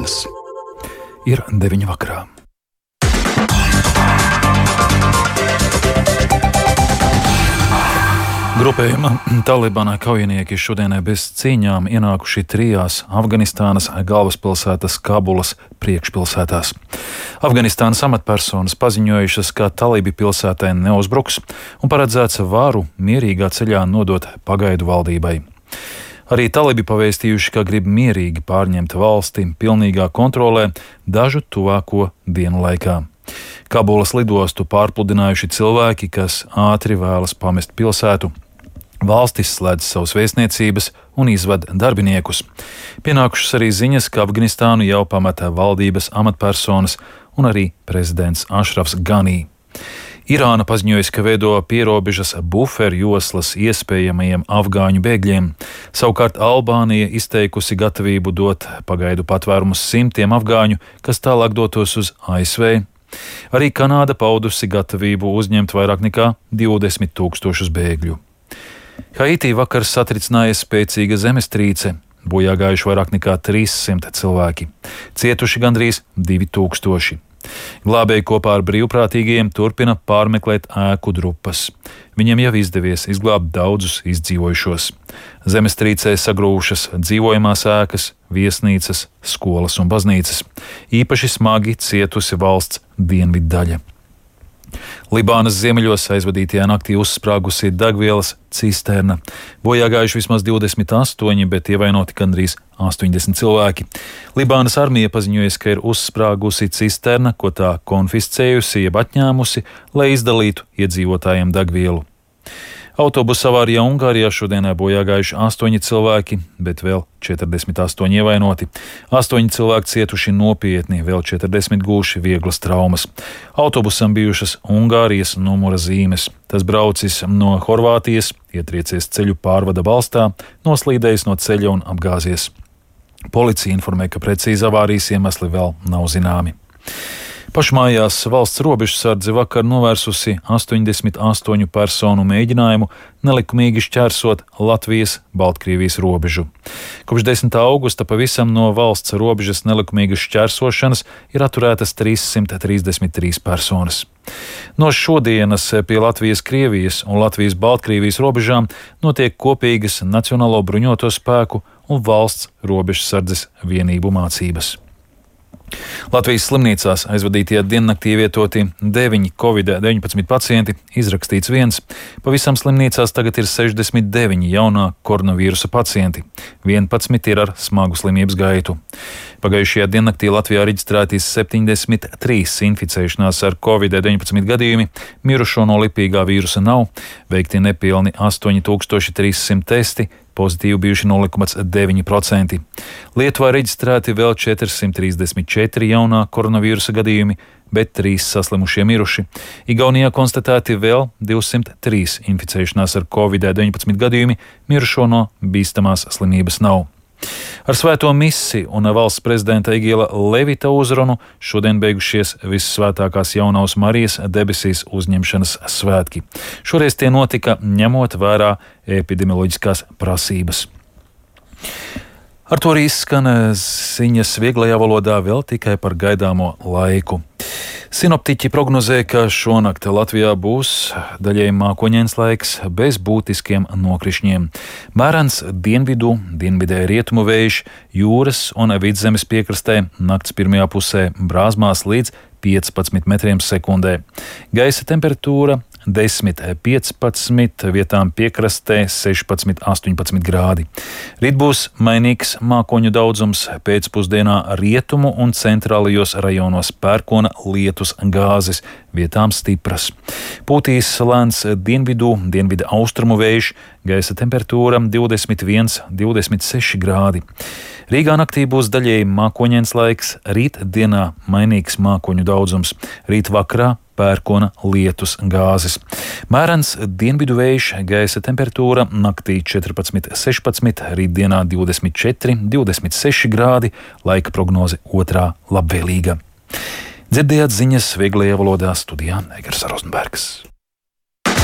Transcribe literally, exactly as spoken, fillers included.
dienas. Ir deviņi vakarā. Grupējuma Talibana kaujinieki šodienai bez cīņām ienākuši trijās Afganistānas galvaspilsētas Kabulas priekšpilsētās. Afganistānas amatpersonas paziņojušas, ka talibi pilsētai neuzbruks un paredzēts varu mierīgā ceļā nodot pagaidu valdībai. Arī talibi pavēstījuši, ka grib mierīgi pārņemt valsti pilnīgā kontrolē dažu tuvāko dienu laikā. Kabulas lidostu pārpludinājuši cilvēki, kas ātri vēlas pamest pilsētu. Valstis slēdz savas vēstniecības un izved darbiniekus. Pienākušas arī ziņas, ka Afganistānu jau pameta valdības amatpersonas un arī prezidents Ašrafs Ganī. Irāna paziņojusi, ka veido pierobežas buferu joslas iespējamajiem afgāņu bēgļiem. Savukārt Albānija izteikusi gatavību dot pagaidu patvērumus simtiem afgāņu, kas tālāk dotos uz A S V. Arī Kanāda paudusi gatavību uzņemt vairāk nekā divdesmit tūkstošus bēgļu. Haitī vakar satricināja spēcīga zemestrīce, bojā gājuši vairāk nekā trīs simti cilvēki, cietuši gandrīz divi tūkstoši. Glābēji kopā ar brīvprātīgajiem turpina pārmeklēt ēku drupas. Viņiem jau izdevies izglābt daudzus izdzīvojušos. Zemestrīcē sagrūvušas dzīvojamās ēkas, viesnīcas, skolas un baznīcas. Īpaši smagi cietusi valsts dienvidu daļa. Libānas ziemeļos aizvadītajā naktī uzsprāgusi degvielas cisterna. Bojā gājuši vismaz divdesmit astoņi, bet ievainoti gandrīz astoņdesmit cilvēki. Libānas armija paziņojusi, ka ir uzsprāgusi cisterna, ko tā konfiscējusi jeb atņēmusi, lai izdalītu iedzīvotājiem degvielu. Autobusa avārijā Ungārijā šodienā bojā gājuši astoņi cilvēki, bet vēl četrdesmit astoņi ievainoti. Astoņi cilvēki cietuši nopietni, vēl četrdesmit gūši vieglas traumas. Autobusam bijušas Ungārijas numura zīmes. Tas braucis no Horvātijas, ietriecies ceļu pārvada balstā, noslīdējis no ceļa un apgāzies. Policija informē, ka precīzi avārijas iemesli vēl nav zināmi. Pašmājās valsts robežsardze vakar novērsusi astoņdesmit astoņu personu mēģinājumu nelikumīgi šķērsot Latvijas-Baltkrievijas robežu. Kopš desmitā augusta pavisam no valsts robežas nelikumīgas šķērsošanas ir atturētas trīssimt trīsdesmit trīs personas. No šodienas pie Latvijas-Krievijas un Latvijas-Baltkrievijas robežām notiek kopīgas Nacionālo bruņoto spēku un valsts robežsardzes vienību mācības. Latvijas slimnīcās aizvadītajā diennaktī ievietoti deviņi covid deviņpadsmit pacienti, izrakstīts viens. Pavisam slimnīcās tagad ir sešdesmit deviņi jaunā koronavīrusa pacienti. vienpadsmit ir ar smagu slimības gaitu. Pagājušajā diennaktī Latvijā reģistrētīs septiņdesmit trīs inficēšanās ar covid deviņpadsmit gadījumi, mirušo no lipīgā vīrusa nav, veikti nepilni astoņi tūkstoši trīs simti testi, pozitīvi bijuši nulle komats deviņi procenti. Lietuvā reģistrēti vēl četri simti trīsdesmit četri jaunā koronavīrusa gadījumi, bet trīs saslimušie miruši. Igaunijā konstatēti vēl divsimt trīs inficēšanās ar covid deviņpadsmit gadījumi, mirušo no bīstamās slimības nav. Ar svēto misi un valsts prezidenta Egila Levita uzrunu šodien beigušies Vissvētākās Jaunavas Marijas debesīs uzņemšanas svētki. Šoreiz tie notika ņemot vērā epidemioloģiskās prasības. Ar to arī izskan ziņas vieglajā valodā vēl tikai par gaidāmo laiku. Sinoptiķi prognozē, ka šonakt Latvijā būs daļēji mākoņains laiks bez būtiskiem nokrišņiem. Mērens dienvidu, dienvidē rietumu vējš, jūras un vidzemes piekrastē nakts pirmajā pusē brāzmās līdz piecpadsmit metriem sekundē. Gaisa temperatūra desmit piecpadsmit, vietām piekrastē sešpadsmit astoņpadsmit grādi. Rīt būs mainīgs mākoņu daudzums, pēcpusdienā rietumu un centrālajos rajonos pērkona lietus gāzes, vietām stipras. Pūtīs lēns dienvidu, dienvidu austrumu vējš, gaisa temperatūra divdesmit viens, divdesmit seši grādi. Rīgā naktī būs daļēji mākoņains laiks, rīt dienā mainīgs mākoņu daudzums, rīt vakarā pērkona lietus gāzes. Mērens dienvidu vējš, gaisa temperatūra naktī četrpadsmit sešpadsmit, rītdienā divdesmit četri, divdesmit seši grādi, laika prognoze otrā labvēlīga. Dzirdējāt ziņas vieglajā valodā, studijā Egers Rozenbergs.